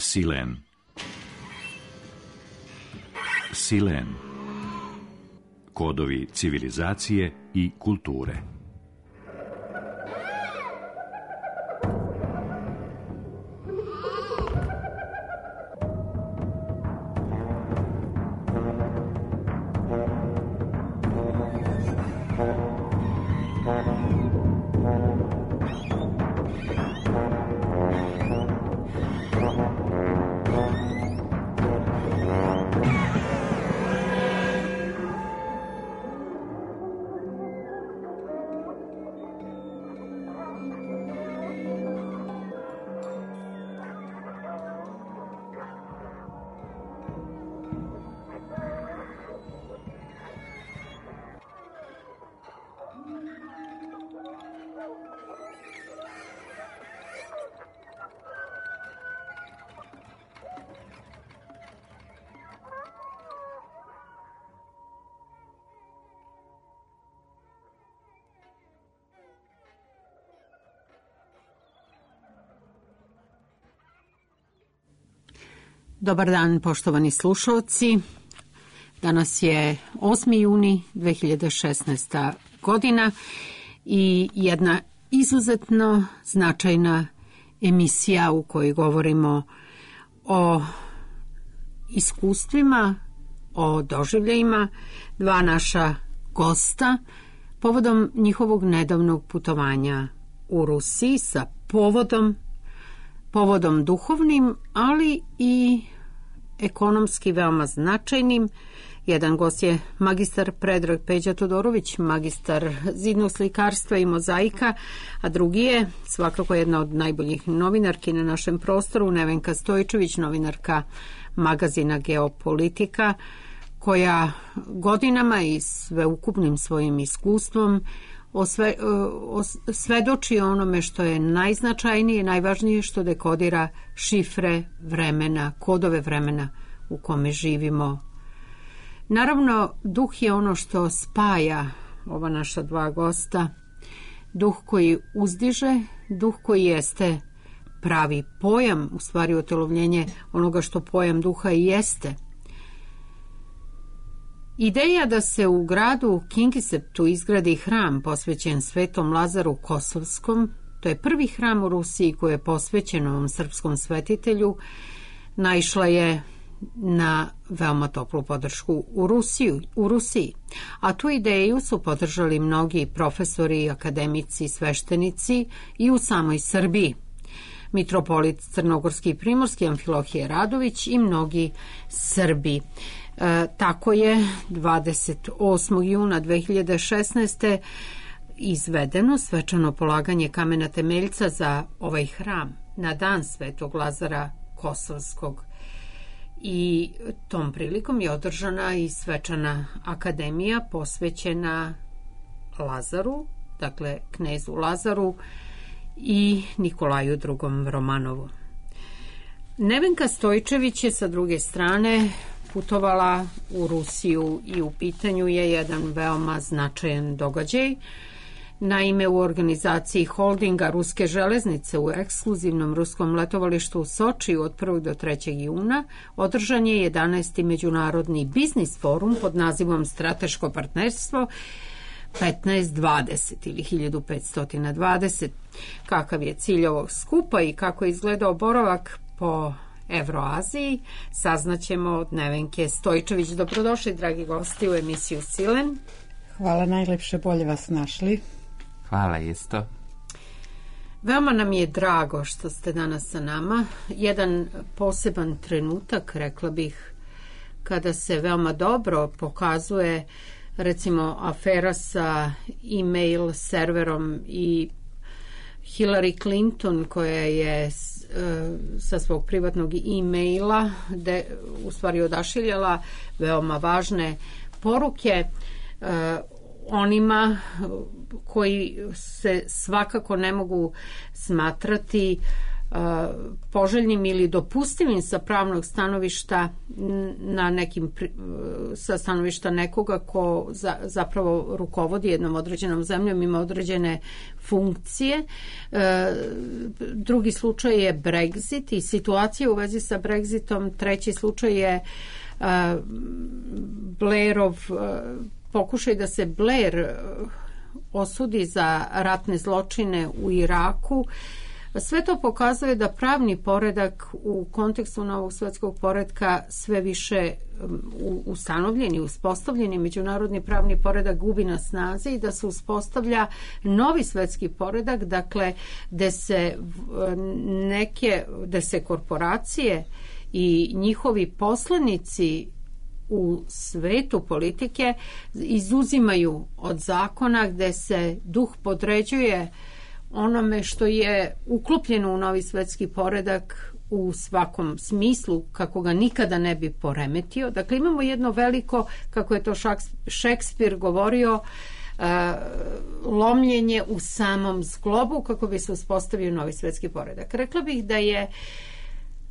Silen. Silen. Kodovi civilizacije i kulture. Dobar dan, poštovani slušalci. Danas je 8. juni 2016. godina i jedna izuzetno značajna emisija u kojoj govorimo o iskustvima, o doživljajima dva naša gosta povodom njihovog nedavnog putovanja u Rusiji sa povodom duhovnim, ali i ekonomski veoma značajnim. Jedan gost je magistar Predrag Peđa Todorović, magistar zidnog slikarstva i mozaika, a drugi je svakako jedna od najboljih novinarki na našem prostoru, Nevenka Stojčević, novinarka magazina Geopolitika, koja godinama i sveukupnim svojim iskustvom svedoči onome što je najznačajnije, najvažnije, što dekodira šifre vremena, kodove vremena u kome živimo. Naravno, duh je ono što spaja ova naša dva gosta, duh koji uzdiže, duh koji jeste pravi pojam, u stvari otelovljenje onoga što pojam duha i jeste. Ideja da se u gradu Kingiseptu izgradi hram posvećen Svetom Lazaru Kosovskom, to je prvi hram u Rusiji koji je posvećen ovom srpskom svetitelju, naišla je na veoma toplu podršku u Rusiji. A tu ideju su podržali mnogi profesori, akademici, sveštenici i u samoj Srbiji. Mitropolit Crnogorski i Primorski Amfilohije Radović i mnogi Srbi. Tako je 28. juna 2016. izvedeno svečano polaganje kamena temeljca za ovaj hram na dan Svetog Lazara Kosovskog. I tom prilikom je održana i svečana akademija posvećena Lazaru, dakle knezu Lazaru i Nikolaju II. Romanovu. Nevenka Stojčević je sa druge strane putovala u Rusiju i u pitanju je jedan veoma značajan događaj. Naime, u organizaciji holdinga Ruske železnice u ekskluzivnom ruskom letovalištu u Sočiju od 1. do 3. juna održan je 11. međunarodni biznis forum pod nazivom Strateško partnerstvo 1520 ili 1520. Kakav je cilj ovog skupa i kako je izgledao boravak po Evroaziji, saznaćemo od Nevenke Stojčević. Dobrodošli, dragi gosti, u emisiju Silen. Hvala, najlepše, bolje vas našli. Hvala isto. Veoma nam je drago što ste danas sa nama. Jedan poseban trenutak, rekla bih, kada se veoma dobro pokazuje recimo afera sa e-mail serverom i Hillary Clinton koja je sa svog privatnog e-maila u stvari odašiljala veoma važne poruke onima koji se svakako ne mogu smatrati poželjnim ili dopustivim sa pravnog stanovišta sa stanovišta nekoga ko zapravo rukovodi jednom određenom zemljom, ima određene funkcije. Drugi slučaj je Brexit i situacija u vezi sa Brexitom. Treći slučaj je Blairov pokušaj da se Blair osudi za ratne zločine u Iraku. Sve to pokazuje da pravni poredak u kontekstu novog svetskog poretka sve više ustanovljeni, uspostavljeni međunarodni pravni poredak gubi na snazi i da se uspostavlja novi svetski poredak, dakle gde se korporacije i njihovi poslanici u svetu politike izuzimaju od zakona, gde se duh podređuje onome što je uklopljeno u novi svetski poredak u svakom smislu, kako ga nikada ne bi poremetio. Dakle, imamo jedno veliko, kako je to Šekspir govorio, lomljenje u samom zglobu kako bi se uspostavio novi svetski poredak. Rekla bih da je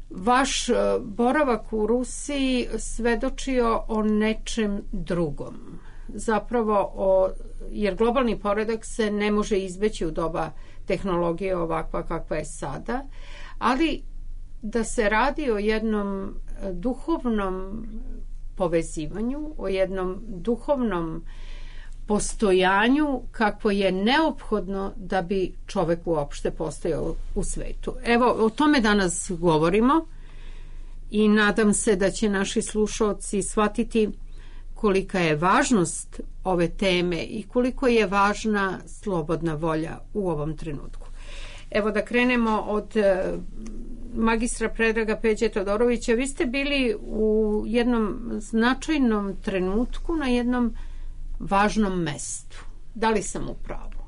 vaš boravak u Rusiji svedočio o nečem drugom. Zapravo, jer globalni poredak se ne može izbeći u doba tehnologije ovakva kakva je sada, ali da se radi o jednom duhovnom povezivanju, o jednom duhovnom postojanju kako je neophodno da bi čovek uopšte postojao u svetu. Evo, o tome danas govorimo i nadam se da će naši slušaoci shvatiti kolika je važnost ove teme i koliko je važna slobodna volja u ovom trenutku. Evo da krenemo od magistra Predraga Peđe Todorovića. Vi ste bili u jednom značajnom trenutku na jednom važnom mestu. Da li sam u pravu?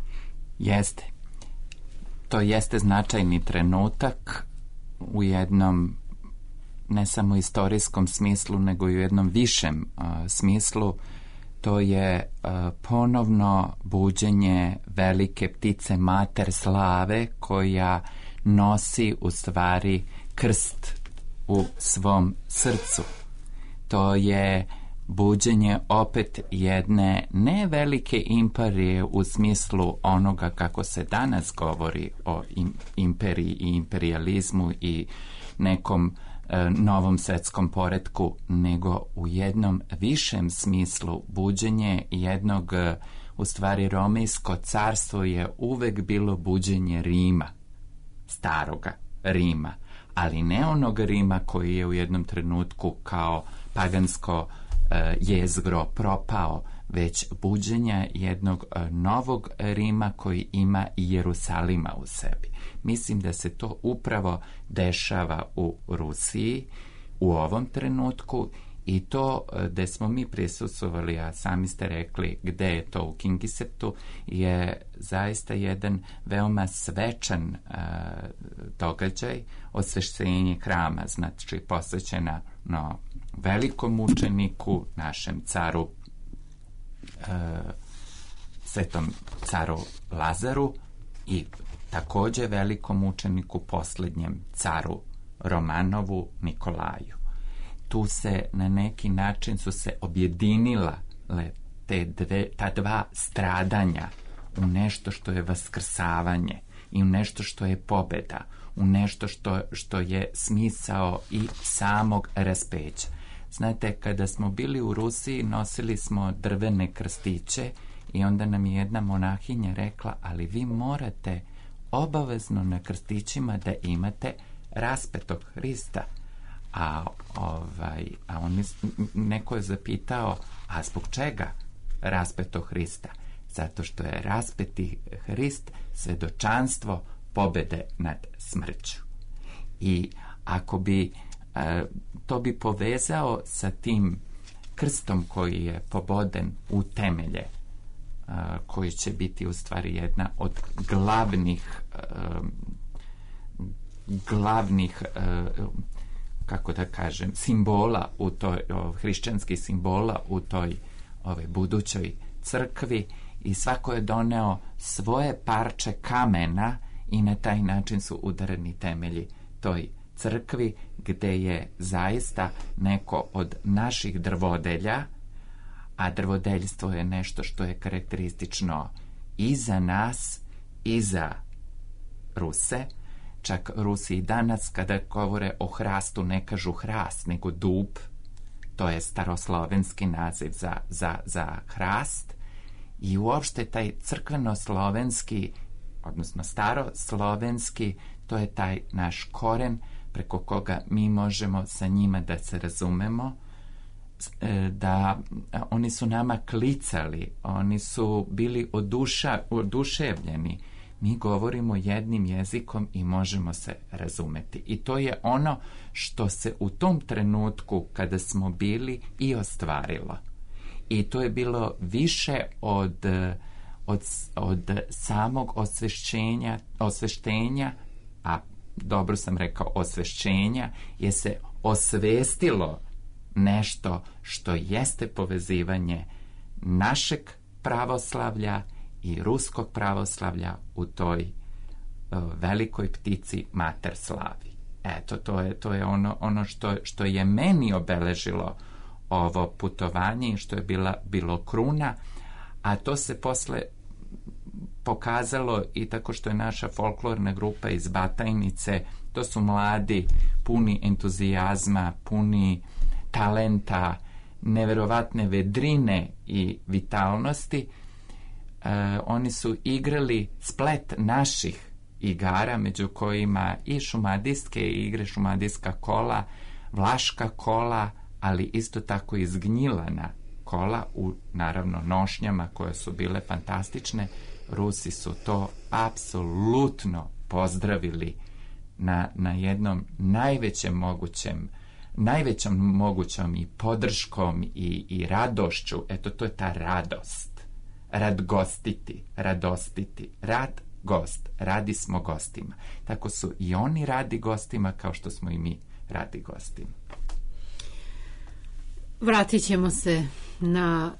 Jeste. To jeste značajni trenutak u jednom ne samo istorijskom smislu, nego i u jednom višem smislu. To je ponovno buđenje velike ptice mater slave koja nosi u stvari krst u svom srcu. To je buđenje opet jedne ne velike imperije u smislu onoga kako se danas govori o imperiji i imperijalizmu i nekom novom svetskom poretku, nego u jednom višem smislu buđenje jednog, u stvari Romejsko carstvo je uvek bilo buđenje Rima, staroga Rima, ali ne onog Rima koji je u jednom trenutku kao pagansko jezgro propao, već buđenja jednog novog Rima koji ima i Jerusalima u sebi. Mislim da se to upravo dešava u Rusiji u ovom trenutku i to gde smo mi prisustvovali, a sami ste rekli gde je to u Kingiseptu, je zaista jedan veoma svečan događaj, osveštenje hrama, znači posvećena velikom mučeniku, našem caru, svetom caru Lazaru i takođe velikom učeniku posljednjem caru Romanovu Nikolaju. Tu se na neki način su se objedinila ta dva stradanja u nešto što je vaskrsavanje i u nešto što je pobeda, u nešto što je smisao i samog raspeća. Znate, kada smo bili u Rusiji, nosili smo drvene krstiće i onda nam je jedna monahinja rekla, ali vi morate obavezno na krstićima da imate raspetog Hrista. A on neko je zapitao, a zbog čega raspetog Hrista? Zato što je raspeti Hrist svedočanstvo pobede nad smrću. I ako bi to bi povezao sa tim krstom koji je poboden u temelje, koji će biti u stvari jedna od glavnih kako da kažem, simbola u toj, hrišćanskih simbola u toj budućoj crkvi, i svako je doneo svoje parče kamena i na taj način su udareni temelji toj crkvi, gde je zaista neko od naših drvodelja, a drvodeljstvo je nešto što je karakteristično i za nas i za Ruse. Čak Rusi i danas kada govore o hrastu ne kažu hrast, nego dub. To je staroslovenski naziv za hrast. I uopšte taj crkveno-slovenski, odnosno staroslovenski, to je taj naš koren preko koga mi možemo sa njima da se razumemo, da oni su nama klicali, oni su bili oduševljeni. Mi govorimo jednim jezikom i možemo se razumeti. I to je ono što se u tom trenutku kada smo bili i ostvarilo. I to je bilo više od samog osveštenja, a dobro sam rekao osvešćenja, je se osvestilo nešto što jeste povezivanje našeg pravoslavlja i ruskog pravoslavlja u toj velikoj ptici Mater Slavi. Eto, to je ono što je meni obeležilo ovo putovanje i što je bilo kruna, a to se posle pokazalo i tako što je naša folklorna grupa iz Batajnice, to su mladi, puni entuzijazma, puni talenta, neverovatne vedrine i vitalnosti. Oni su igrali splet naših igara, među kojima i šumadijske igre, šumadijska kola, vlaška kola, ali isto tako i zgnjilana kola u, naravno, nošnjama koje su bile fantastične. Rusi su to apsolutno pozdravili na jednom najvećom mogućom i podrškom i radošću. Eto, to je ta radost. Radostiti. Rad, gost. Radi smo gostima. Tako su i oni radi gostima kao što smo i mi radi gostima. Vratit ćemo se na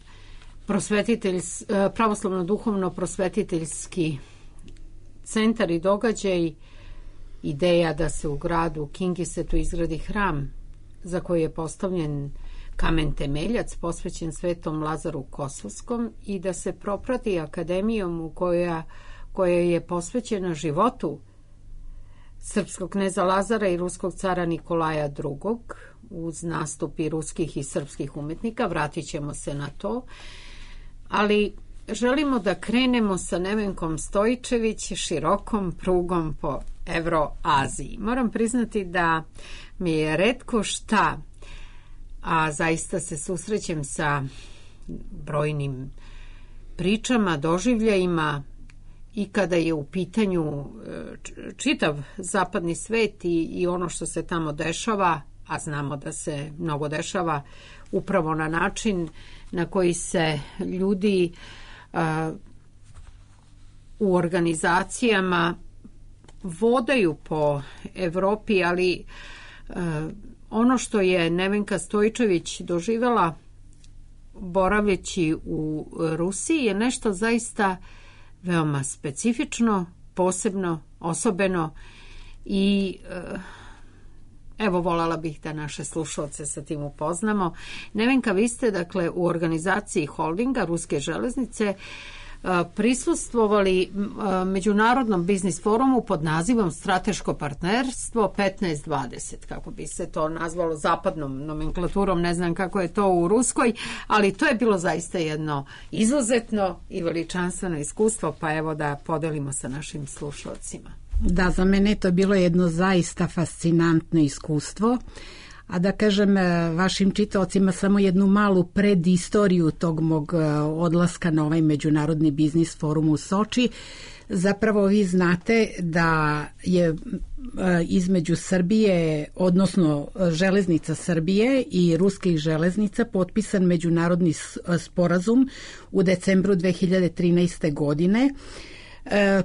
pravoslavno-duhovno-prosvetiteljski centar i događaj. Ideja da se u gradu Kingisetu izgradi hram za koji je postavljen kamen temeljac posvećen Svetom Lazaru Kosovskom i da se proprati akademijom koja je posvećena životu srpskog kneza Lazara i ruskog cara Nikolaja II. Uz nastupi ruskih i srpskih umetnika. Vratit ćemo se na to. Ali želimo da krenemo sa Nevenkom Stojičević širokom prugom po Evroaziji. Moram priznati da mi je retko šta, a zaista se susrećem sa brojnim pričama, doživljajima i kada je u pitanju čitav zapadni svet i ono što se tamo dešava, a znamo da se mnogo dešava upravo na način na koji se ljudi u organizacijama vodaju po Evropi, ali ono što je Nevenka Stojičević doživjela boravljeći u Rusiji je nešto zaista veoma specifično, posebno, osobeno i evo, voljela bih da naše slušalce sa tim upoznamo. Nevenka, vi ste dakle u organizaciji holdinga Ruske železnice prisustvovali Međunarodnom biznis forumu pod nazivom Strateško partnerstvo 15-20, kako bi se to nazvalo zapadnom nomenklaturom, ne znam kako je to u ruskoj, ali to je bilo zaista jedno izuzetno i veličanstveno iskustvo, pa evo da podelimo sa našim slušalcima. Da, za mene to je bilo jedno zaista fascinantno iskustvo, a da kažem vašim čitaocima samo jednu malu predistoriju tog mog odlaska na ovaj Međunarodni biznis forum u Soči. Zapravo vi znate da je između Srbije, odnosno Železnica Srbije i Ruskih železnica potpisan međunarodni sporazum u decembru 2013. godine,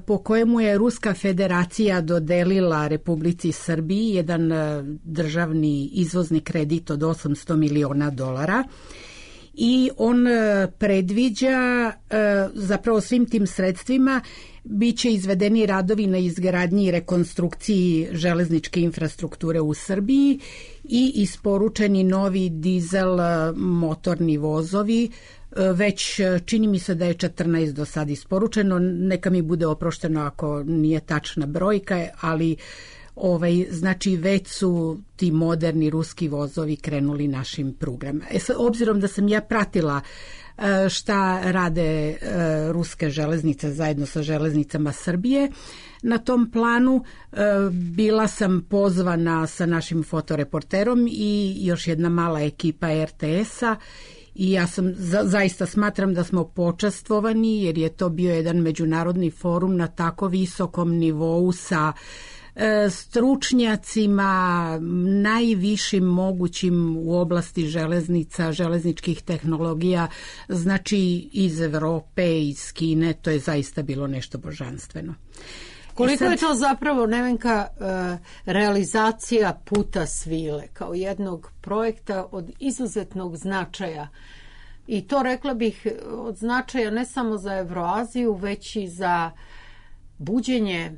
po kojemu je Ruska federacija dodelila Republici Srbiji jedan državni izvozni kredit od $800 miliona i on predviđa zapravo svim tim sredstvima biće izvedeni radovi na izgradnji i rekonstrukciji železničke infrastrukture u Srbiji i isporučeni novi dizel motorni vozovi. Već čini mi se da je 14 do sad isporučeno, neka mi bude oprošteno ako nije tačna brojka, ali znači već su ti moderni ruski vozovi krenuli našim prugama. Obzirom da sam ja pratila šta rade ruske železnice zajedno sa železnicama Srbije na tom planu, bila sam pozvana sa našim fotoreporterom i još jedna mala ekipa RTS-a i ja sam zaista smatram da smo počastvovani jer je to bio jedan međunarodni forum na tako visokom nivou sa stručnjacima najvišim mogućim u oblasti železnica, železničkih tehnologija, znači iz Evrope, iz Kine, to je zaista bilo nešto božanstveno. Koliko je to zapravo, Nevenka, realizacija Puta svile kao jednog projekta od izuzetnog značaja i to, rekla bih, od značaja ne samo za Evroaziju, već i za buđenje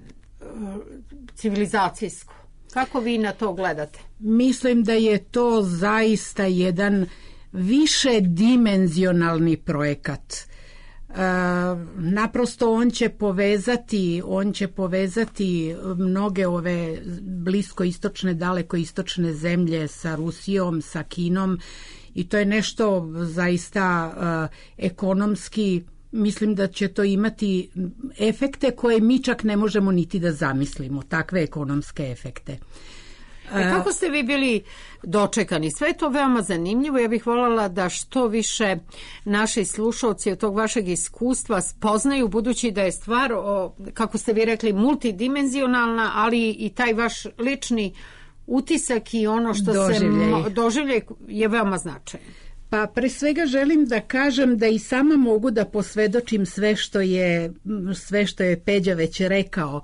civilizacijsko. Kako vi na to gledate? Mislim da je to zaista jedan višedimenzionalni projekat. Naprosto on će povezati mnoge ove bliskoistočne, dalekoistočne zemlje sa Rusijom, sa Kinom i to je nešto zaista ekonomski. Mislim da će to imati efekte koje mi čak ne možemo niti da zamislimo, takve ekonomske efekte. Kako ste vi bili dočekani? Sve je to veoma zanimljivo. Ja bih voljela da što više naši slušalci od tog vašeg iskustva spoznaju, budući da je stvar, kako ste vi rekli, multidimenzionalna, ali i taj vaš lični utisak i ono što doživljaj je veoma značajno. Pa pre svega želim da kažem da i sama mogu da posvedočim sve što je Peđa već rekao,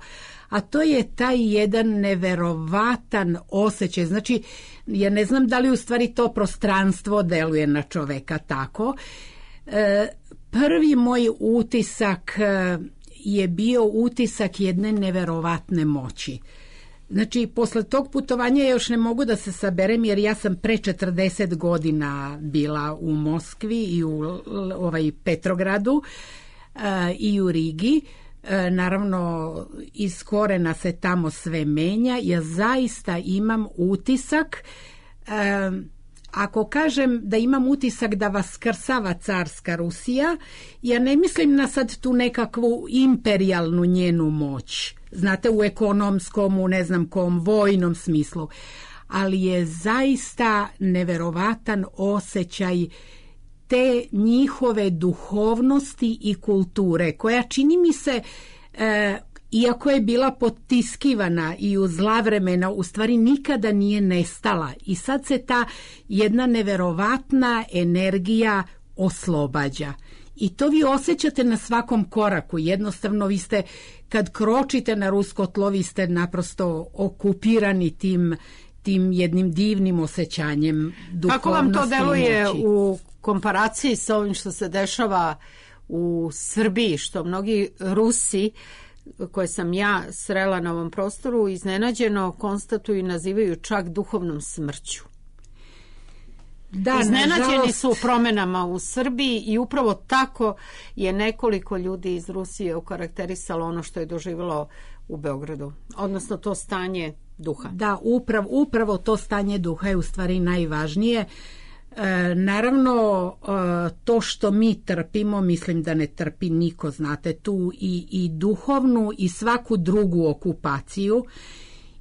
a to je taj jedan neverovatan osjećaj. Znači, ja ne znam da li u stvari to prostranstvo deluje na čoveka tako. Prvi moj utisak je bio utisak jedne neverovatne moći. Znači, posle tog putovanja još ne mogu da se saberem jer ja sam pre 40 godina bila u Moskvi i u Petrogradu i u Rigi. Naravno, iz korena se tamo sve menja. Ja zaista imam utisak, ako kažem da imam utisak da vaskrsava carska Rusija, ja ne mislim na sad tu nekakvu imperijalnu njenu moć. Znate, u ekonomskom, u ne znam kom, vojnom smislu. Ali je zaista neverovatan osjećaj te njihove duhovnosti i kulture, koja čini mi se, iako je bila potiskivana i u zla vremena, u stvari nikada nije nestala. I sad se ta jedna neverovatna energija oslobađa. I to vi osjećate na svakom koraku. Jednostavno, vi ste, kad kročite na rusko tlo, vi ste naprosto okupirani tim jednim divnim osjećanjem duhovnosti. Kako vam to deluje u komparaciji sa ovim što se dešava u Srbiji, što mnogi Rusi koje sam ja srela na ovom prostoru iznenađeno konstatuju i nazivaju čak duhovnom smrću? Da, iznenađeni su promenama u Srbiji i upravo tako je nekoliko ljudi iz Rusije okarakterisalo ono što je doživjelo u Beogradu, odnosno to stanje duha. Da, upravo to stanje duha je u stvari najvažnije. Naravno, to što mi trpimo, mislim da ne trpi niko, znate, tu i duhovnu i svaku drugu okupaciju.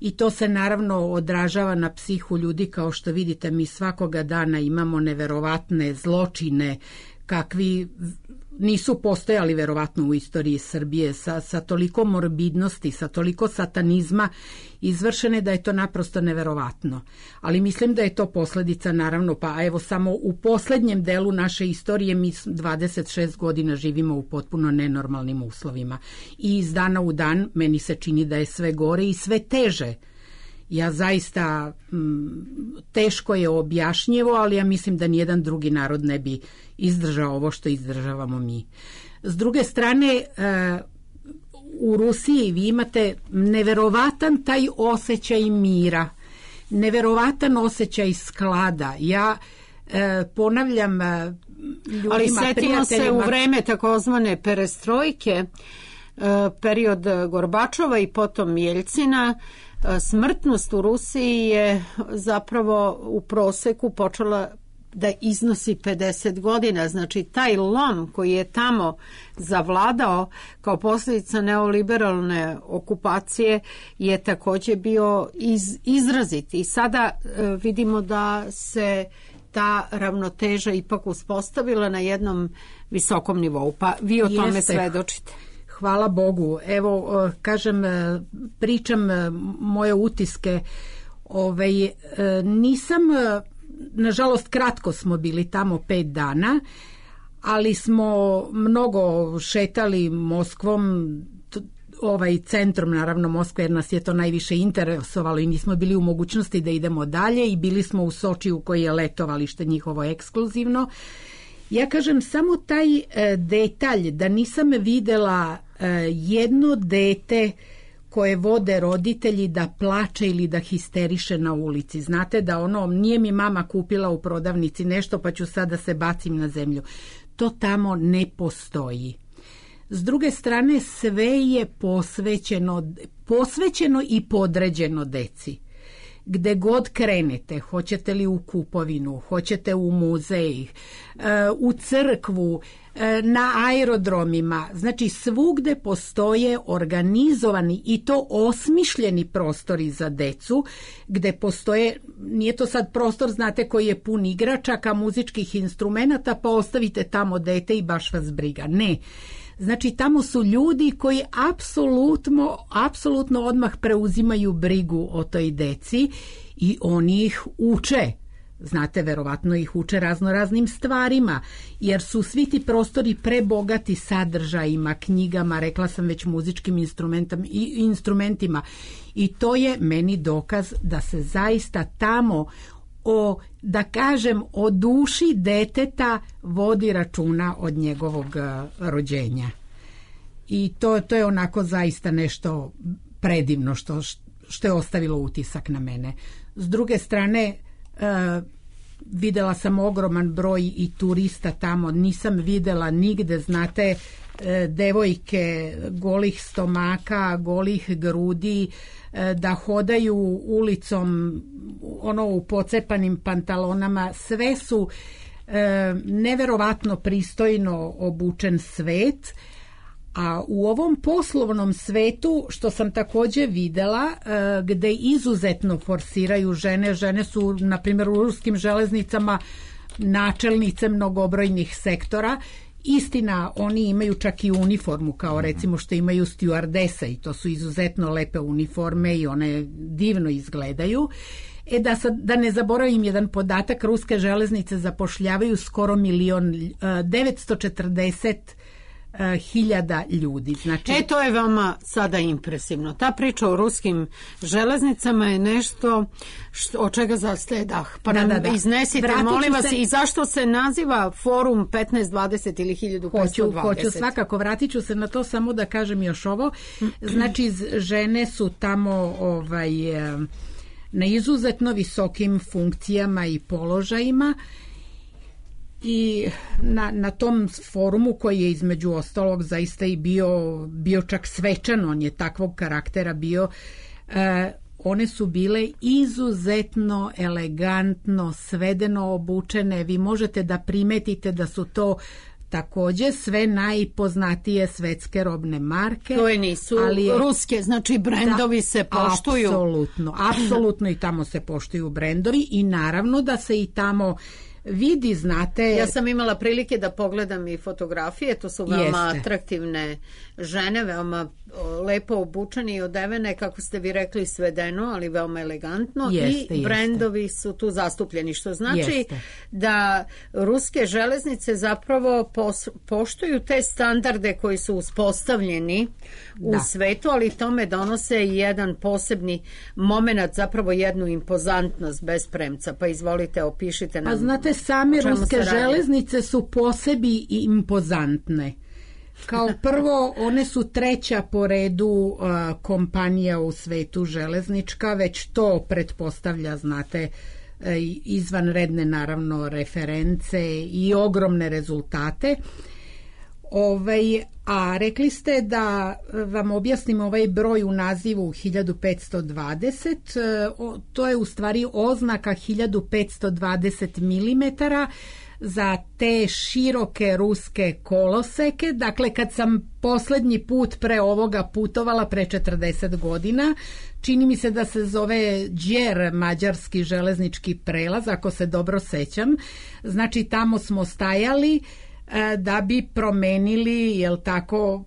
I to se naravno odražava na psihu ljudi, kao što vidite, mi svakoga dana imamo neverovatne zločine kakvi nisu postojali verovatno u istoriji Srbije, sa toliko morbidnosti, sa toliko satanizma izvršene da je to naprosto neverovatno. Ali mislim da je to posljedica, naravno, pa evo samo u poslednjem delu naše istorije mi 26 godina živimo u potpuno nenormalnim uslovima. I iz dana u dan meni se čini da je sve gore i sve teže. Ja zaista, teško je objašnjivo, ali ja mislim da nijedan drugi narod ne bi izdržao ovo što izdržavamo mi. S druge strane, u Rusiji vi imate neverovatan taj osjećaj mira, neverovatan osjećaj sklada. Ja ponavljam ljudima, ali setimo prijateljima... se u vreme takozvane perestrojke, period Gorbačova i potom Jeljcina, smrtnost u Rusiji je zapravo u proseku počela da iznosi 50 godina. Znači, taj lom koji je tamo zavladao kao posljedica neoliberalne okupacije je također bio izrazit. I sada vidimo da se ta ravnoteža ipak uspostavila na jednom visokom nivou. Pa vi o tome svedočite. Hvala Bogu. Evo, kažem, pričam moje utiske. Nisam, nažalost, kratko smo bili tamo 5 dana, ali smo mnogo šetali Moskvom, centrom, naravno Moskve, jer nas je to najviše interesovalo i nismo bili u mogućnosti da idemo dalje, i bili smo u Sočiju koji je letovalište njihovo ekskluzivno. Ja kažem samo taj detalj da nisam videla jedno dete koje vode roditelji da plače ili da histeriše na ulici. Znate da nije mi mama kupila u prodavnici nešto pa ću sad da se bacim na zemlju. To tamo ne postoji. S druge strane, sve je posvećeno i podređeno deci. Gde god krenete, hoćete li u kupovinu, hoćete u muzej, u crkvu, na aerodromima, znači svugde postoje organizovani i to osmišljeni prostori za decu, gde postoje, nije to sad prostor, znate, koji je pun igračaka, muzičkih instrumenata, pa ostavite tamo dete i baš vas briga. Ne. Znači, tamo su ljudi koji apsolutno odmah preuzimaju brigu o toj deci i oni ih uče. Znate, verovatno ih uče raznim stvarima, jer su svi ti prostori prebogati sadržajima, knjigama, rekla sam već, muzičkim instrumentima. I to je meni dokaz da se zaista tamo o duši deteta vodi računa od njegovog rođenja. I to je onako zaista nešto predivno što je ostavilo utisak na mene. S druge strane, videla sam ogroman broj i turista tamo, nisam videla nigde, znate, devojke golih stomaka, golih grudi, da hodaju ulicom u pocepanim pantalonama. Sve su neverovatno pristojno obučen svet, a u ovom poslovnom svetu, što sam također videla, gde izuzetno forsiraju žene su, na primjer, u ruskim železnicama načelnice mnogobrojnih sektora. Istina, oni imaju čak i uniformu, kao recimo što imaju stjuardese, i to su izuzetno lepe uniforme i one divno izgledaju. Da ne zaboravim jedan podatak, ruske železnice zapošljavaju skoro 1.940.000 ljudi. Znači... to je vama sada impresivno. Ta priča o ruskim železnicama je nešto od čega zastaje dah. Pa nam iznesite, molim vas, i zašto se naziva Forum 1520 ili 1520? Hoću svakako, vratit ću se na to, samo da kažem još ovo. Znači, žene su tamo na izuzetno visokim funkcijama i položajima, i na tom forumu, koji je između ostalog zaista i bio čak svečan, on je takvog karaktera bio, one su bile izuzetno elegantno, svedeno obučene. Vi možete da primetite da su to također sve najpoznatije svetske robne marke. To nisu ruske, znači brendovi se poštuju. Apsolutno i tamo se poštuju brendovi, i naravno da se i tamo vidi, znate... Ja sam imala prilike da pogledam i fotografije, to su veoma atraktivne žene, veoma lepo obučene i odevene, kako ste vi rekli, svedeno, ali veoma elegantno, i brendovi su tu zastupljeni, što znači da ruske železnice zapravo poštuju te standarde koji su uspostavljeni u svetu, ali tome donose i jedan posebni moment, zapravo jednu impozantnost bez premca. Pa izvolite, opišite nam. Pa znate, same ruske železnice su po sebi impozantne. Kao prvo, one su treća po redu kompanija u svetu železnička, već to pretpostavlja, znate, izvanredne naravno reference i ogromne rezultate. A rekli ste vam objasnim ovaj broj u nazivu 1520, to je u stvari oznaka 1520 mm za te široke ruske koloseke. Dakle, kad sam posljednji put pre ovoga putovala pre 40 godina, čini mi se da se zove Đer, mađarski železnički prelaz, ako se dobro sećam. Znači, tamo smo stajali da bi promenili, jel tako,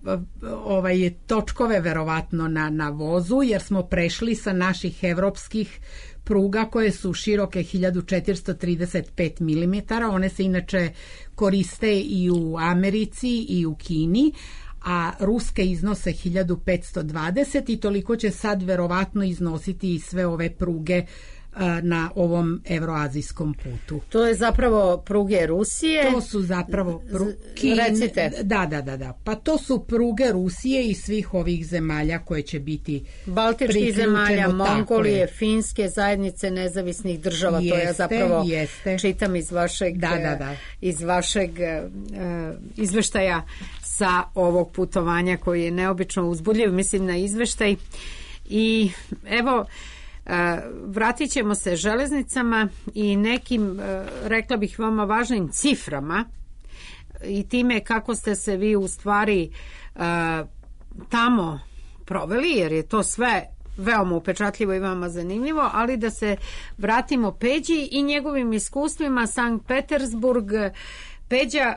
točkove verovatno na vozu, jer smo prešli sa naših evropskih pruga koje su široke 1435 mm. One se inače koriste i u Americi i u Kini, a ruske iznose 1520 i toliko će sad verovatno iznositi i sve ove pruge na ovom evroazijskom putu. To je zapravo pruge Rusije. To su zapravo Recite. Da. Pa to su pruge Rusije i svih ovih zemalja koje će biti Baltičkih zemalja, Mongolije, Finske, zajednice nezavisnih država. To ja zapravo čitam iz vašeg iz vašeg izveštaja sa ovog putovanja koji je neobično uzbudljiv, mislim na izveštaj. I evo, vratit ćemo se železnicama i nekim, rekla bih, veoma važnim ciframa i time kako ste se vi u stvari tamo proveli, jer je to sve veoma upečatljivo i veoma zanimljivo, ali da se vratimo Peđi i njegovim iskustvima. Sankt Petersburg. Peđa,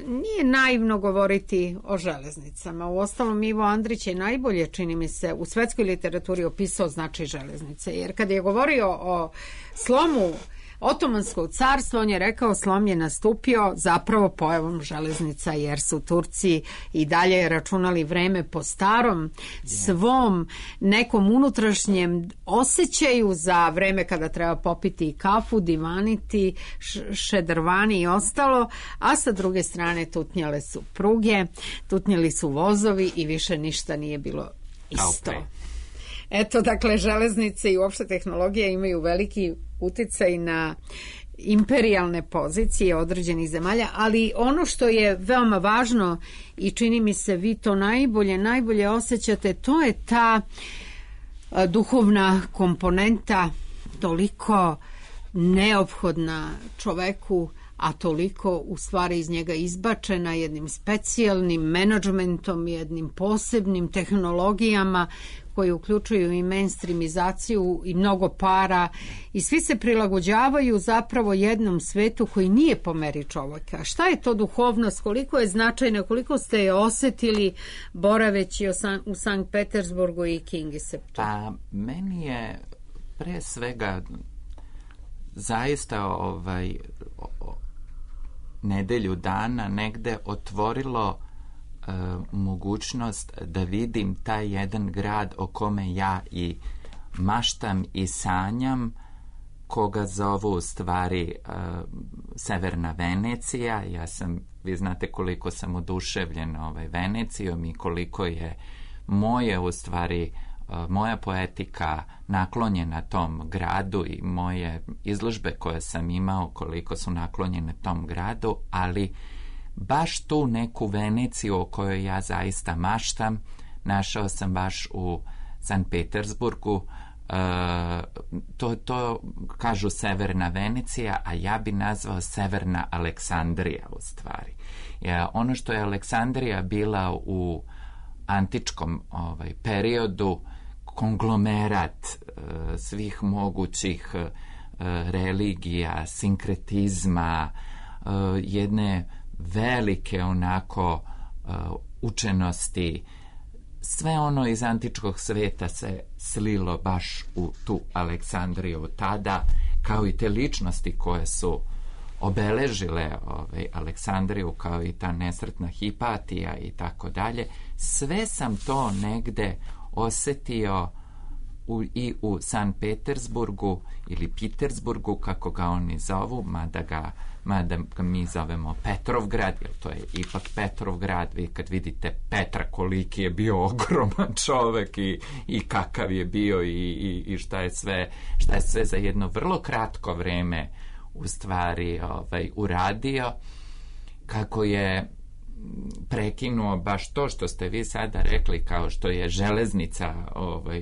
nije naivno govoriti o železnicama. Uostalom, Ivo Andrić je najbolje, čini mi se, u svetskoj literaturi opisao značaj železnice. Jer kad je govorio o slomu Otomanskog carstva, on je rekao slom je nastupio zapravo pojavom železnica, jer su Turci i dalje računali vreme po starom svom nekom unutrašnjem osjećaju za vreme kada treba popiti kafu, divaniti, šedrvani i ostalo, a sa druge strane tutnjale su pruge, tutnjali su vozovi i više ništa nije bilo isto. Eto, dakle, železnice i uopšte tehnologija imaju veliki uticaj na imperijalne pozicije određenih zemalja, ali ono što je veoma važno i čini mi se vi to najbolje osjećate, to je ta duhovna komponenta toliko neophodna čoveku, a toliko u stvari iz njega izbačena jednim specijalnim menadžmentom, jednim posebnim tehnologijama koji uključuju i mainstreamizaciju i mnogo para i svi se prilagođavaju zapravo jednom svetu koji nije po meri čovjeka. Šta je to duhovnost, koliko je značajna, koliko ste je osjetili boraveći u Sankt Petersburgu i Kingiseptu? Pa meni je pre svega zaista nedelju dana negde otvorilo mogućnost da vidim taj jedan grad o kome ja i maštam i sanjam, koga zovu u stvari Severna Venecija. Vi znate koliko sam oduševljen Venecijom i koliko je moja poetika naklonjena tom gradu i moje izložbe koje sam imao koliko su naklonjene tom gradu, ali baš tu neku Veneciju o kojoj ja zaista maštam našao sam baš u Sankt Petersburgu. To kažu Severna Venecija, a ja bi nazvao Severna Aleksandrija u stvari. Ono što je Aleksandrija bila u antičkom periodu, konglomerat svih mogućih religija, sinkretizma, jedne velike onako učenosti. Sve ono iz antičkog sveta se slilo baš u tu Aleksandriju tada, kao i te ličnosti koje su obeležile Aleksandriju, kao i ta nesretna Hipatija i tako dalje. Sve sam to negde osetio i u San Petersburgu ili Pitersburgu, kako ga oni zovu, mada ga mi zovemo Petrovgrad, jer to je ipak Petrovgrad. Vi kad vidite Petra, koliki je bio ogroman čovek i kakav je bio i šta je sve za jedno vrlo kratko vreme u stvari uradio, kako je prekinuo baš to što ste vi sada rekli, kao što je železnica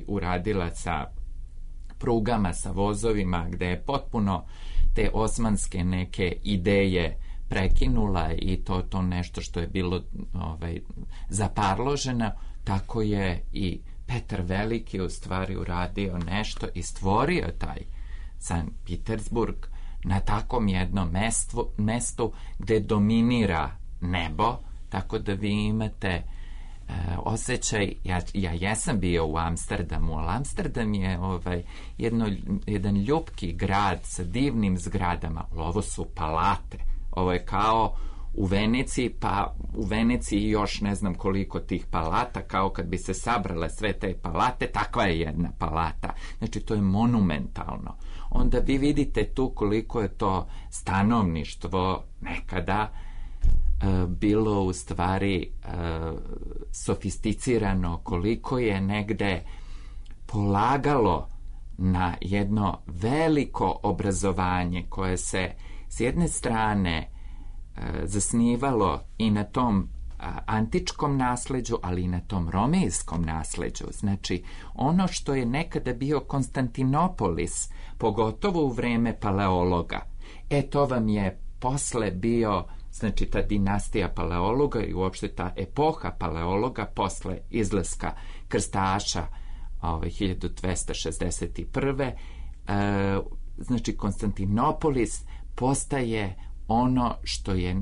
uradila sa prugama, sa vozovima, gde je potpuno te osmanske neke ideje prekinula i to nešto što je bilo zaparloženo, tako je i Petar Veliki u stvari uradio nešto i stvorio taj San Petersburg na takvom jednom mestu gde dominira nebo, tako da vi imate osjećaj. Ja jesam bio u Amsterdamu, ali Amsterdam je jedan ljupki grad sa divnim zgradama, ali ovo su palate. Ovo je kao u Veneciji, pa u Veneciji još ne znam koliko tih palata, kao kad bi se sabrale sve te palate, takva je jedna palata. Znači, to je monumentalno. Onda vi vidite tu koliko je to stanovništvo nekada bilo u stvari sofisticirano, koliko je negde polagalo na jedno veliko obrazovanje koje se s jedne strane zasnivalo i na tom antičkom nasleđu, ali i na tom romejskom nasleđu. Znači, ono što je nekada bio Konstantinopolis, pogotovo u vreme Paleologa, to vam je posle bio, znači ta dinastija Paleologa i uopšte ta epoha Paleologa posle izlaska krstaša 1261. Znači, Konstantinopolis postaje ono što je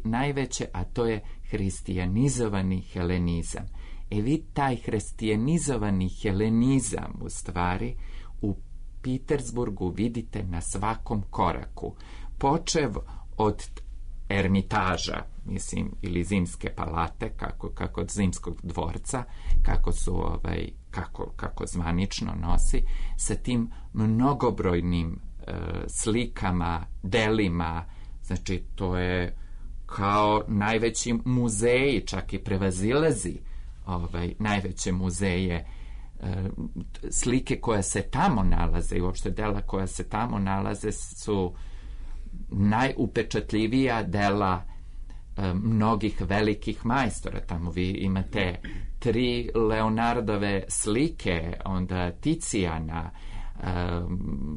najveće, a to je hristijanizovani helenizam. Vi taj hristijanizovani helenizam u stvari u Petersburgu vidite na svakom koraku. Počev od Ermitaža, mislim, ili Zimske palate, kako od Zimskog dvorca, kako su kako zvanično nosi, sa tim mnogobrojnim slikama, delima. Znači, to je kao najveći muzeji, čak i prevazilazi najveće muzeje. Slike koje se tamo nalaze i uopšte dela koja se tamo nalaze su najupečatljivija dela mnogih velikih majstora. Tamo vi imate 3 Leonardove slike, onda Ticijana,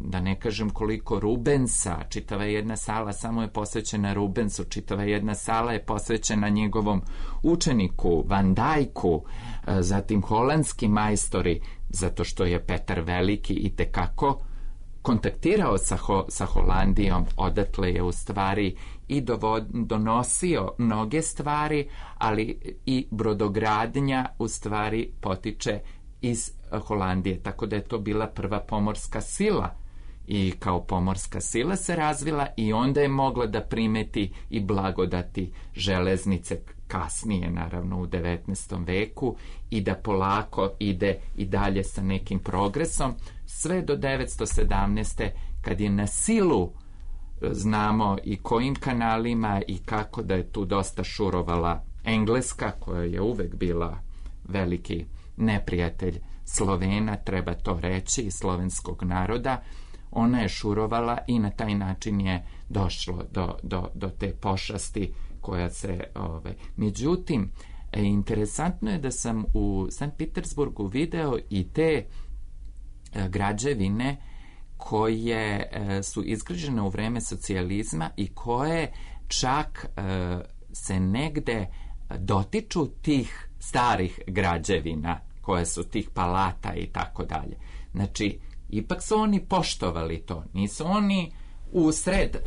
da ne kažem koliko Rubensa, čitava jedna sala samo je posvećena Rubensu, čitava jedna sala je posvećena njegovom učeniku Van Dijku, zatim holandski majstori, zato što je Petar Veliki itekako kontaktirao sa Holandijom, odatle je u stvari i donosio mnoge stvari, ali i brodogradnja u stvari potiče iz Holandije, tako da je to bila prva pomorska sila i kao pomorska sila se razvila i onda je mogla da primeti i blagodati železnice kasnije, naravno u 19. veku, i da polako ide i dalje sa nekim progresom, sve do 917. kad je na silu, znamo i kojim kanalima i kako, da je tu dosta šurovala Engleska, koja je uvek bila veliki neprijatelj Slovena, treba to reći, i slovenskog naroda. Ona je šurovala i na taj način je došlo do te pošasti koja se... Međutim, interesantno je da sam u Sankt Petersburgu video i te građevine koje su izgrađene u vreme socijalizma i koje čak se negde dotiču tih starih građevina koje su tih palata i tako dalje. Znači, ipak su oni poštovali to. Nisu oni usred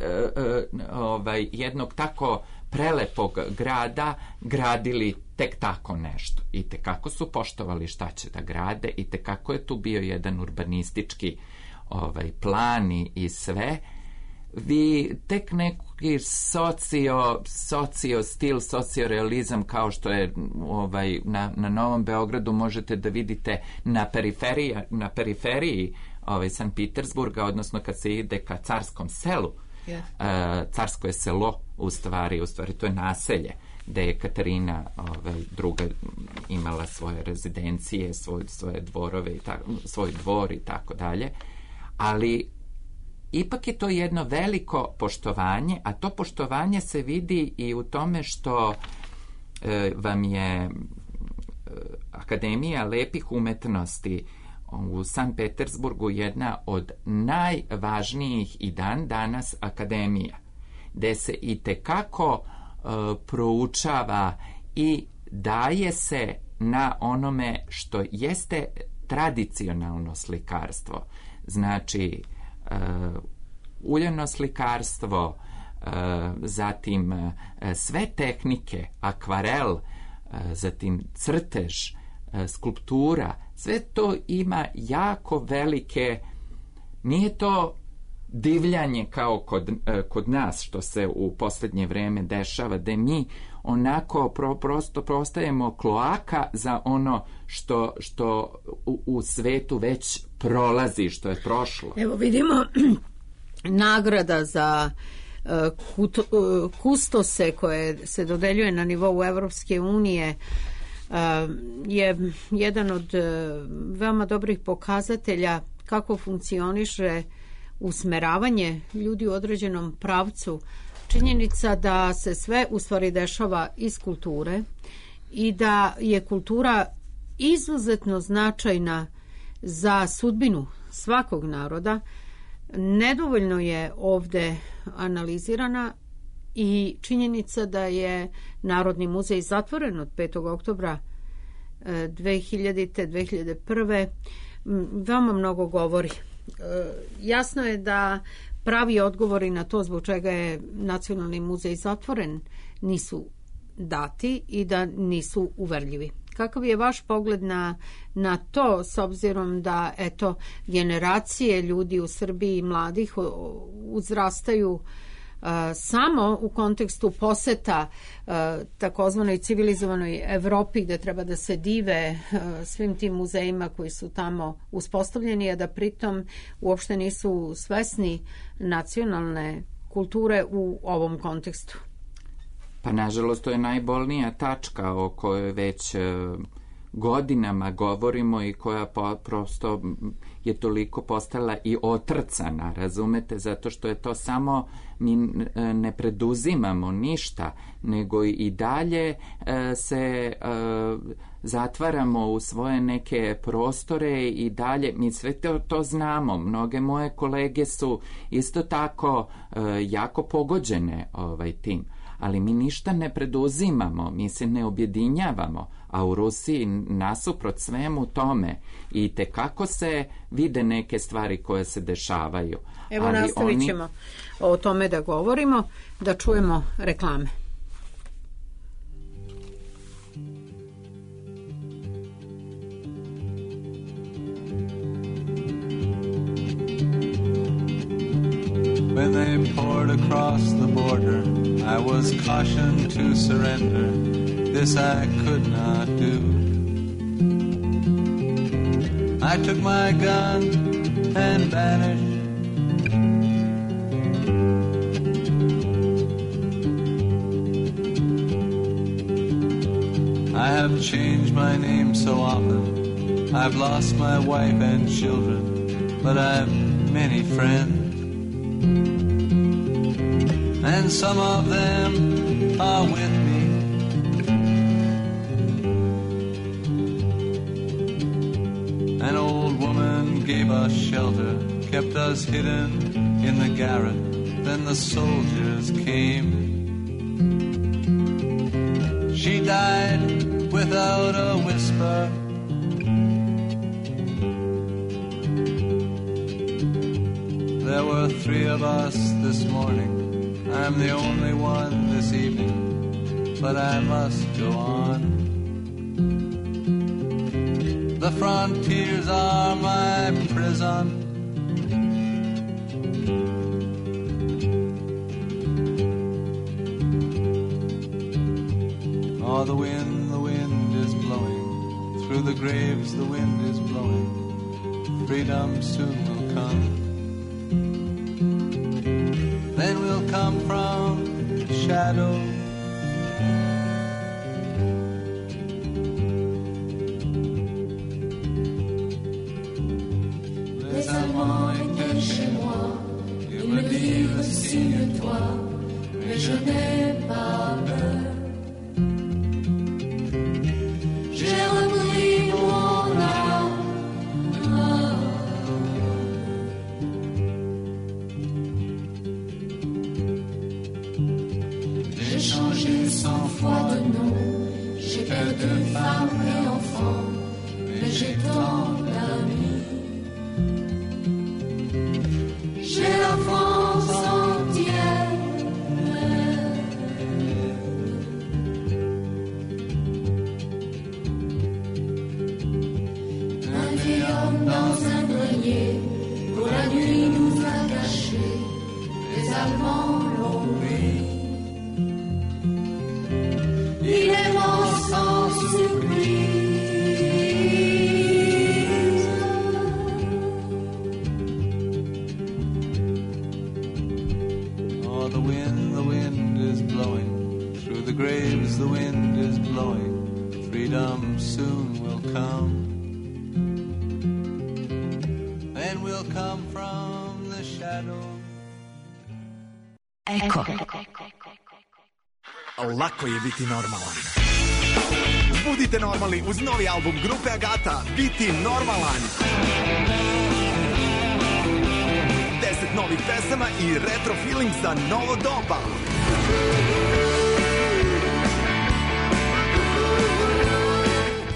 jednog tako prelepog grada gradili tek tako nešto. I tekako su poštovali šta će da grade, i tekako je tu bio jedan urbanistički plan i sve. Vi tek neki sociorealizam kao što je na Novom Beogradu možete da vidite na periferiji San Petersburga, odnosno kad se ide ka Carskom selu. Carsko je selo u stvari to je naselje gde je Katarina druga imala svoje rezidencije, svoje dvorove, svoj dvor i tako dalje, ali ipak je to jedno veliko poštovanje, a to poštovanje se vidi i u tome što vam je Akademija lepih umetnosti u San Petersburgu jedna od najvažnijih i dan danas akademija, gde se i tekako proučava i daje se na onome što jeste tradicionalno slikarstvo. Znači, uljano slikarstvo, zatim sve tehnike, akvarel, zatim crtež, skulptura, sve to ima jako velike, nije to divljanje kao kod nas što se u posljednje vreme dešava, da mi onako prosto postajemo kloaka za ono što u svetu već prolazi, što je prošlo. Evo vidimo nagrada za kustose koje se dodeljuje na nivou Evropske unije je jedan od veoma dobrih pokazatelja kako funkcioniše usmeravanje ljudi u određenom pravcu. Činjenica da se sve u stvari dešava iz kulture i da je kultura izuzetno značajna za sudbinu svakog naroda nedovoljno je ovde analizirana i činjenica da je Narodni muzej zatvoren od 5. oktobra 2000. 2001. veoma mnogo govori. Jasno je da pravi odgovori na to zbog čega je Nacionalni muzej zatvoren nisu dati i da nisu uverljivi. Kakav je vaš pogled na to, s obzirom da generacije ljudi u Srbiji mladih uzrastaju samo u kontekstu poseta takozvanoj civilizovanoj Evropi, gde treba da se dive svim tim muzejima koji su tamo uspostavljeni, a da pritom uopšte nisu svesni nacionalne kulture u ovom kontekstu? Pa nažalost to je najbolnija tačka o kojoj već godinama govorimo i koja prosto je toliko postala i otrcana, razumete, zato što je to samo, mi ne preduzimamo ništa, nego i dalje se zatvaramo u svoje neke prostore i dalje, mi sve to znamo, mnoge moje kolege su isto tako jako pogođene tim, ali mi ništa ne preduzimamo, mi se ne objedinjavamo, a u Rusiji nasuprot svemu tome i tekako se vide neke stvari koje se dešavaju. Evo, ali nastavit ćemo o tome da govorimo, da čujemo reklame. When they poured across the border, I was cautioned to surrender. This I could not do. I took my gun and vanished. I have changed my name so often. I've lost my wife and children, but I've many friends. And some of them are with me. An old woman gave us shelter, kept us hidden in the garret. Then the soldiers came. She died without a whisper. of us this morning. I'm the only one this evening, but I must go on. The frontiers are my prison. Oh, the wind is blowing. Through the graves the wind is blowing. Freedom soon will come. Then we'll come from shadow. Les Allemands étaient chez moi. Ils me disent signe-toi, mais je n'ai pas peur. J'ai repris mon âme. J'ai changé 100 fois de nom. J'ai perdu femme et enfant, mais j'ai tant d'amis. J'ai la France entière. Un vieil homme dans un grenier, pour la nuit nous a cachés. Les Allemands l'ont pris. Il est mort sans surprise. Oh, the wind is blowing. Through the graves the wind is blowing. Freedom soon will come. Then we'll come from the shadow. Eko. Lako je biti normalan. Budite normalni uz novi album grupe Agata, Biti normalan. 10 novih pesama i retro feeling za novo doba.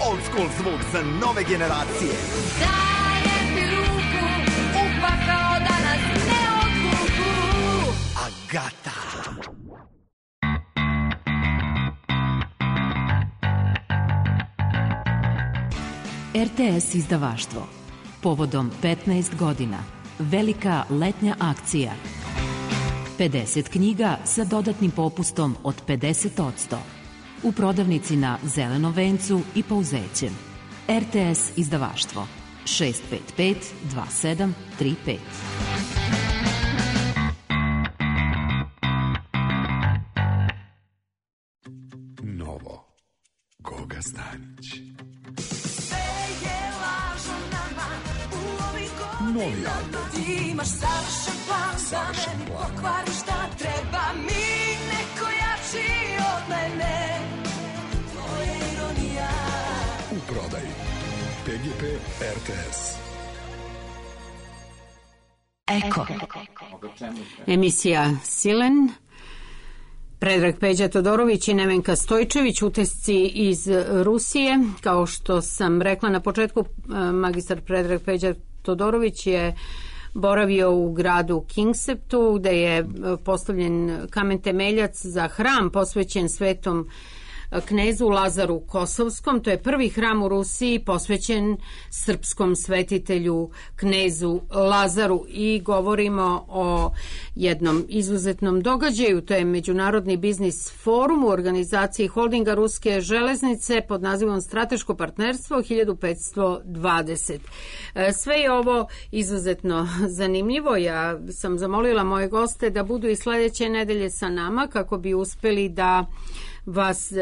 Old school zvuk za nove generacije. Dajem ti ruku, upakao da nas ne odvuku. Agata. RTS izdavaštvo. Povodom 15 godina. Velika letnja akcija. 50 knjiga sa dodatnim popustom od 50%. U prodavnici na Zelenom vencu i Pouzećem. RTS izdavaštvo. 655 2735. Novo. Goga Stanić. Novi album. Ti imaš savršen plan za mene, pokvariš šta treba mi, neko jači od mene. To je ironija. U prodaji. PGP RTS. Eko. Emisija Silen. Predrag Peđa Todorović i Nevenka Stojčević, utisci iz Rusije. Kao što sam rekla na početku, magistar Predrag Peđa Todorović je boravio u gradu Kingseptu, gde je postavljen kamen temeljac za hram posvećen svetom knezu Lazaru Kosovskom. To je prvi hram u Rusiji posvećen srpskom svetitelju knezu Lazaru i govorimo o jednom izuzetnom događaju. To je Međunarodni biznis forum u organizaciji holdinga Ruske železnice pod nazivom Strateško partnerstvo 1520. Sve je ovo izuzetno zanimljivo. Ja sam zamolila moje goste da budu i sledeće nedelje sa nama kako bi uspeli da vas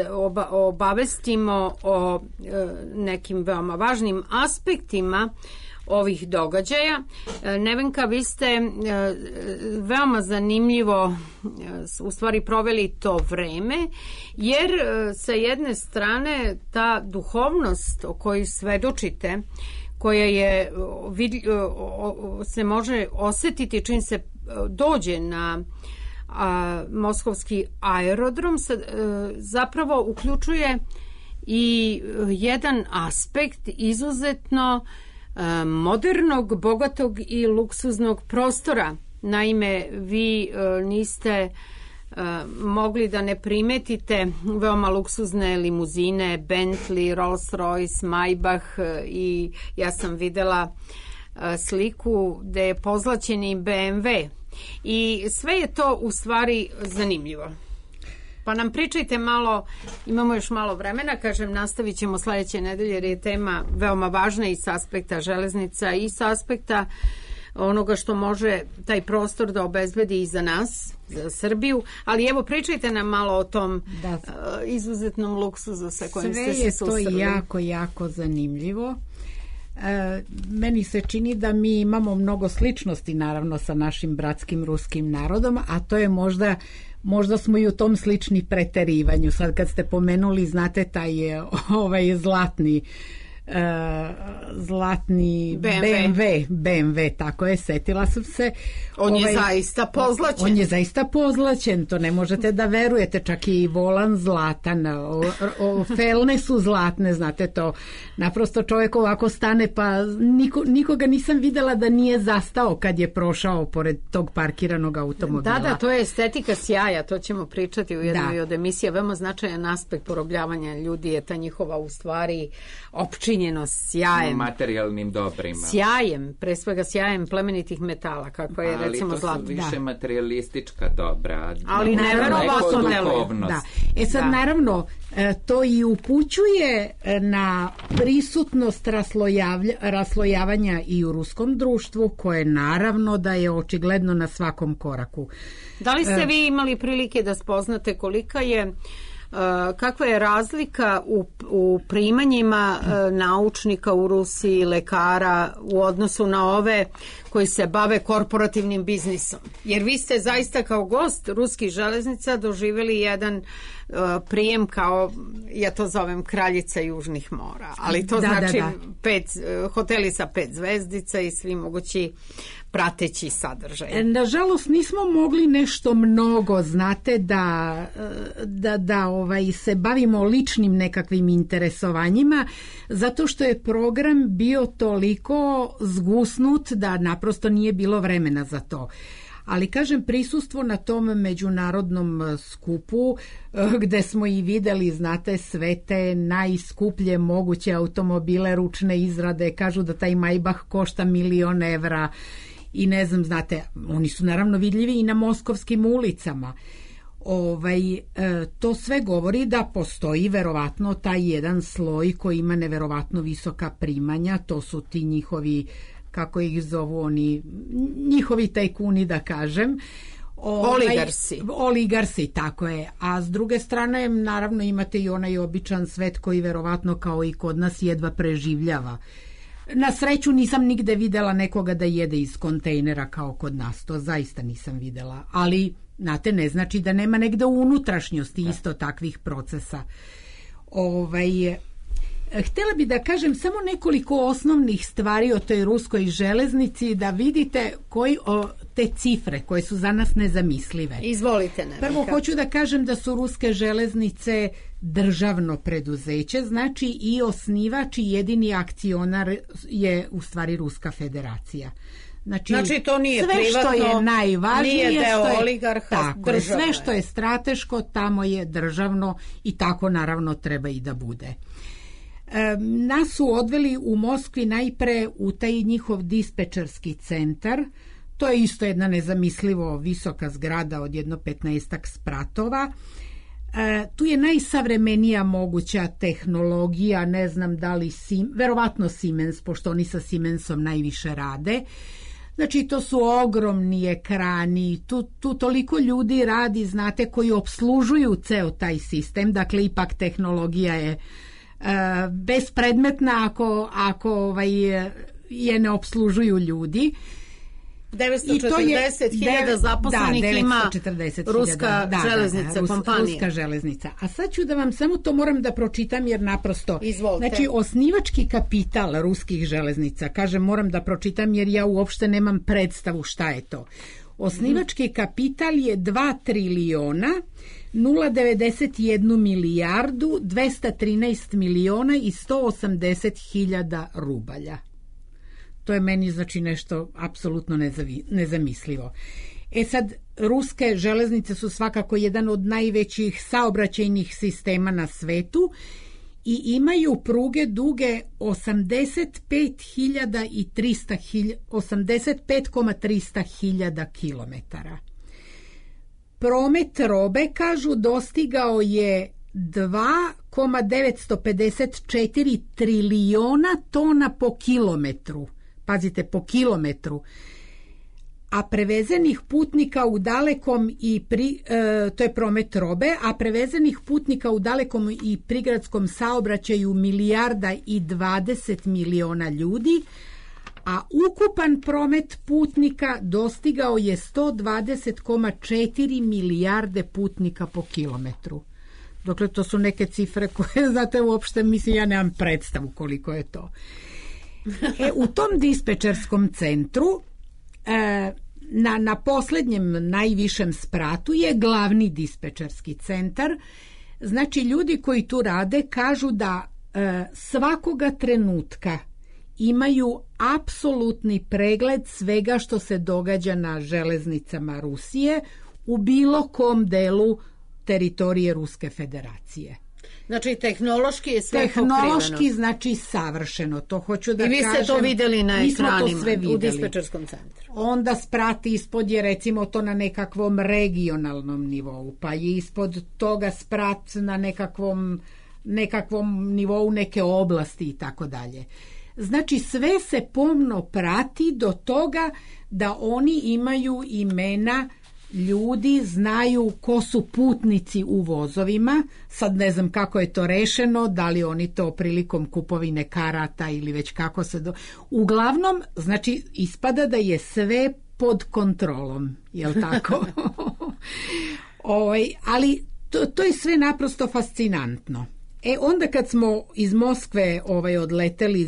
obavestimo o nekim veoma važnim aspektima ovih događaja. Nevenka, vi ste veoma zanimljivo u stvari proveli to vreme, jer sa jedne strane ta duhovnost o kojoj svedočite, koja je se može osetiti čim se dođe na moskovski aerodrom, zapravo uključuje i jedan aspekt izuzetno modernog, bogatog i luksuznog prostora Naime, vi niste mogli da ne primetite veoma luksuzne limuzine, Bentley, Rolls-Royce, Maybach i ja sam videla sliku gde je pozlaćeni BMW i sve je to u stvari zanimljivo. Pa nam pričajte malo, imamo još malo vremena, kažem, nastavit ćemo sledeće nedelje jer je tema veoma važna i s aspekta železnica i s aspekta onoga što može taj prostor da obezbedi i za nas, za Srbiju, ali evo pričajte nam malo o tom izuzetnom luksuzu sa kojim ste se susreli. Sve je to jako, jako zanimljivo. Meni se čini da mi imamo mnogo sličnosti naravno sa našim bratskim ruskim narodom, a to je možda smo i u tom slični preterivanju. Sad kad ste pomenuli, znate, taj zlatni BMW, tako je, setila sam se. On je zaista pozlaćen. On je zaista pozlaćen, to ne možete da verujete, čak i volan zlatan, felne su zlatne, znate to. Naprosto čovjek ovako stane, pa nikoga nisam videla da nije zastao kad je prošao pored tog parkiranog automobila. Da, to je estetika sjaja, to ćemo pričati u jednoj od emisija. Veoma značajan aspekt porobljavanja ljudi je ta njihova u stvari opčinjenost sjajem. Materijalnim dobrima. Sjajem, pre svega sjajem plemenitih metala, kako je recimo zlato. Ali to su više materialistička dobra. Ali neverovatno deluje. Da. Sad naravno to i upućuje na prisutnost raslojavanja i u ruskom društvu, koje naravno da je očigledno na svakom koraku. Da li ste vi imali prilike da spoznate kakva je razlika u primanjima naučnika u Rusiji, lekara u odnosu na ove koji se bave korporativnim biznisom? Jer vi ste zaista kao gost ruskih železnica doživjeli jedan prijem kao, ja to zovem kraljica južnih mora, ali to znači hoteli sa 5 zvezdica i svi mogući prateći sadržaj. Nažalost nismo mogli nešto mnogo, znate, da se bavimo ličnim nekakvim interesovanjima, zato što je program bio toliko zgusnut da naprosto nije bilo vremena za to. Ali kažem, prisustvo na tom međunarodnom skupu gde smo i videli, znate, sve te najskuplje moguće automobile ručne izrade, kažu da taj Maybach košta 1.000.000 evra i ne znam, znate, oni su naravno vidljivi i na moskovskim ulicama. To sve govori da postoji verovatno taj jedan sloj koji ima neverovatno visoka primanja, to su ti njihovi, kako ih zovu oni, njihovi tajkuni, da kažem. Oligarsi, tako je. A s druge strane, naravno, imate i onaj običan svet koji verovatno kao i kod nas jedva preživljava. Na sreću nisam nigde videla nekoga da jede iz kontejnera kao kod nas, to zaista nisam videla, ali znate, ne znači da nema negde u unutrašnjosti isto takvih procesa. Htjela bi da kažem samo nekoliko osnovnih stvari o toj ruskoj železnici, da vidite te cifre koje su za nas nezamislive. Izvolite, Nevenka. Prvo hoću da kažem da su ruske železnice državno preduzeće, znači i osnivač i jedini akcionar je u stvari Ruska federacija. Znači to nije sve privatno, što je najvažnije, nije deo oligarha, države. Sve što je strateško tamo je državno i tako naravno treba i da bude. Nas su odveli u Moskvi najpre u taj njihov dispečerski centar. To je isto jedna nezamislivo visoka zgrada od jedno 15-ak spratova. Tu je najsavremenija moguća tehnologija, ne znam da li verovatno Siemens, pošto oni sa Siemensom najviše rade. Znači, to su ogromni ekrani, tu toliko ljudi radi, znate, koji opslužuju ceo taj sistem, dakle, ipak tehnologija je bespredmetna ako je ne opslužuju ljudi. 940.000 zaposlenih ima Ruska železnica, kompanija. Ruska železnica. A sad ću da vam samo to moram da pročitam jer naprosto... Izvolite. Znači, osnivački kapital ruskih železnica, kažem, moram da pročitam jer ja uopšte nemam predstavu šta je to. Osnivački kapital je 2 triliona 091 milijardu 213 miliona i 180.000 rubalja. To je meni znači nešto apsolutno nezamislivo. Sad, ruske železnice su svakako jedan od najvećih saobraćajnih sistema na svetu i imaju pruge duge 85,300 hiljada kilometara. Promet robe, kažu, dostigao je 2,954 triliona tona po kilometru. Pazite, po kilometru. A prevezenih putnika u dalekom to je promet robe, a prevezenih putnika u dalekom i prigradskom saobraćaju 1,20 milijarda ljudi, a ukupan promet putnika dostigao je 120,4 milijarde putnika po kilometru. Dokle, to su neke cifre koje, znate, uopšte, mislim, ja nemam predstavu koliko je to. U tom dispečerskom centru na poslednjem najvišem spratu je glavni dispečerski centar. Znači, ljudi koji tu rade kažu da svakoga trenutka imaju apsolutni pregled svega što se događa na železnicama Rusije u bilo kom delu teritorije Ruske federacije. Znači, tehnološki je sve pokriveno. Tehnološki, znači, savršeno. To hoću da kažem. I vi ste to videli na ekranima u dispečerskom centru. Onda sprat ispod je, recimo, to na nekakvom regionalnom nivou, pa je ispod toga sprat na nekakvom nivou neke oblasti i tako dalje. Znači, sve se pomno prati do toga da oni imaju imena ljudi, znaju ko su putnici u vozovima. Sad ne znam kako je to rešeno, da li oni to prilikom kupovine karata ili već kako se Uglavnom, znači, ispada da je sve pod kontrolom, jel tako? Ali to je sve naprosto fascinantno. Onda kad smo iz Moskve odleteli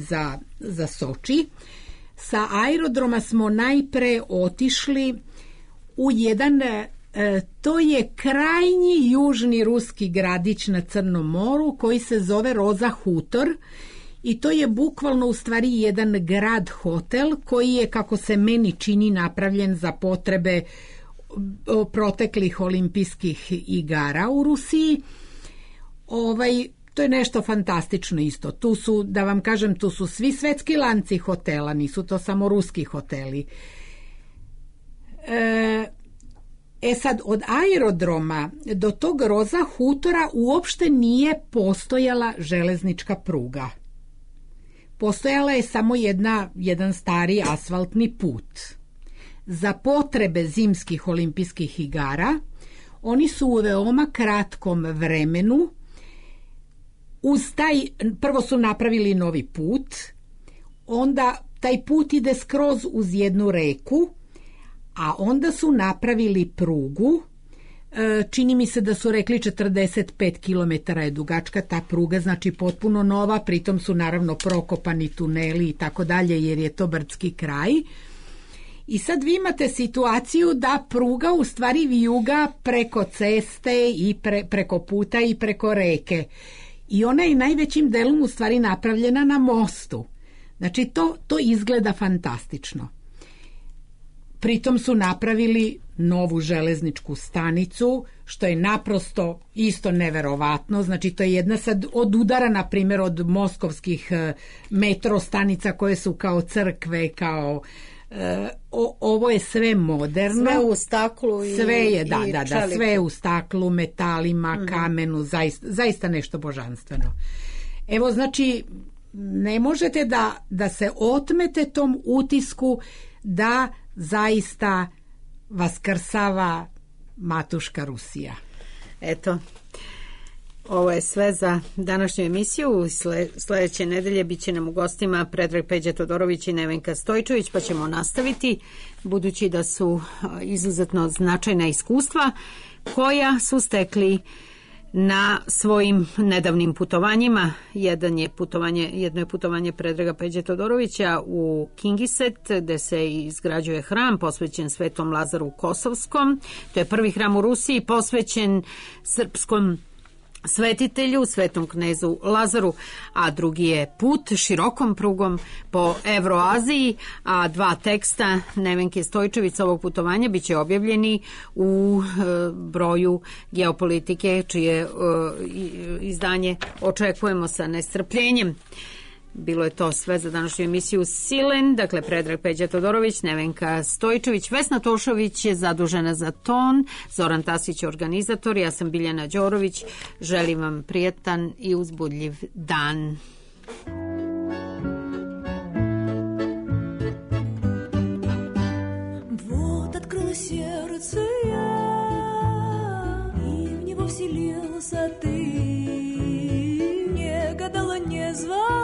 za Soči, sa aerodroma smo najpre otišli u jedan, to je krajnji južni ruski gradić na Crnom moru koji se zove Roza Hutor i to je bukvalno u stvari jedan grad hotel koji je, kako se meni čini, napravljen za potrebe proteklih olimpijskih igara u Rusiji. To je nešto fantastično isto. Tu su, da vam kažem, tu su svi svetski lanci hotela, nisu to samo ruski hoteli. Sad, od aerodroma do tog Roza Hutora uopšte nije postojala železnička pruga. Postojala je samo jedan stari asfaltni put. Za potrebe zimskih olimpijskih igara oni su u veoma kratkom vremenu prvo su napravili novi put, onda taj put ide skroz uz jednu reku, a onda su napravili prugu, čini mi se da su rekli 45 km je dugačka ta pruga, znači potpuno nova, pritom su naravno prokopani tuneli i tako dalje jer je to brdski kraj. I sad vi imate situaciju da pruga u stvari vijuga preko ceste i preko puta i preko reke. I ona je najvećim delom u stvari napravljena na mostu. Znači to izgleda fantastično. Pritom su napravili novu železničku stanicu, što je naprosto isto neverovatno. Znači, to je jedna sad od udara, na primjer, od moskovskih metro stanica koje su kao crkve, kao... ovo je sve moderno. Sve u staklu i sve je, da, sve u staklu, metalima, kamenu, zaista nešto božanstveno. Evo, znači, ne možete da se otmete tom utisku da zaista vaskrsava matuška Rusija. Eto, ovo je sve za današnju emisiju. Sledeće nedelje bit će nam u gostima Predrag Peđa Todorović i Nevenka Stojčević, pa ćemo nastaviti, budući da su izuzetno značajna iskustva koja su stekli na svojim nedavnim putovanjima. Jedno je putovanje Predraga Peđe Todorovića u Kingiset, gde se izgrađuje hram posvećen Svetom Lazaru Kosovskom. To je prvi hram u Rusiji posvećen srpskom svetitelju, svetom knezu Lazaru, a drugi je Put širokom prugom po Evroaziji, a 2 teksta Nevenke Stojčević ovog putovanja biće objavljeni u broju Geopolitike, čije izdanje očekujemo sa nestrpljenjem. Bilo je to sve za današnju emisiju Silen, dakle Predrag Peđa Todorović, Nevenka Stojčević, Vesna Tošović je zadužena za ton, Zoran Tasić organizator, ja sam Biljana Đorović, želim vam prijatan i uzbudljiv dan. Вот открылось сердце я, и в него вселился ты, не гадала, не звала.